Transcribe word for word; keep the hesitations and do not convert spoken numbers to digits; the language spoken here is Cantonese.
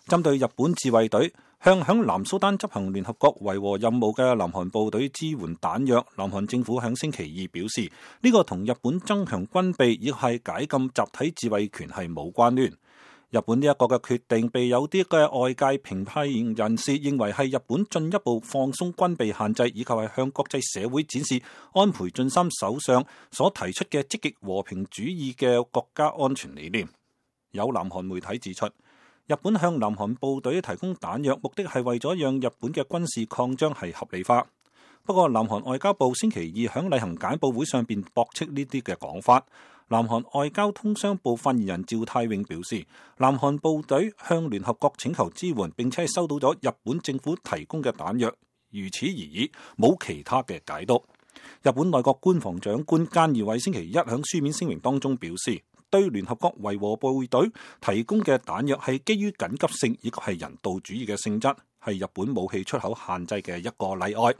針對日本自衛隊向響南蘇丹執行聯合國維和任務嘅南韓部隊支援彈藥，南韓政府響星期二表示，呢個同日本增強軍備亦係解禁集體自衛權係冇關聯。日本呢一個嘅決定被有啲嘅外界評批人士認為係日本進一步放鬆軍備限制，以及係向國際社會展示安倍晉三首相所提出嘅積極和平主義嘅國家安全理念。有南韓媒體指出，日本向南韓部隊提供彈藥，目的係為咗讓日本嘅軍事擴張係合理化。不過，南韓外交部星期二響例行簡報會上邊駁斥呢啲嘅講法。南韓外交通商部發言人趙泰永表示，南韓部隊向聯合國請求支援，並且係收到咗日本政府提供嘅彈藥，如此而已，冇其他嘅解讀。日本內閣官房長官菅義偉星期一響書面聲明當中表示，對聯合國維和部隊提供嘅彈藥係基於緊急性以及係人道主義嘅性質，係日本武器出口限制嘅一個例外。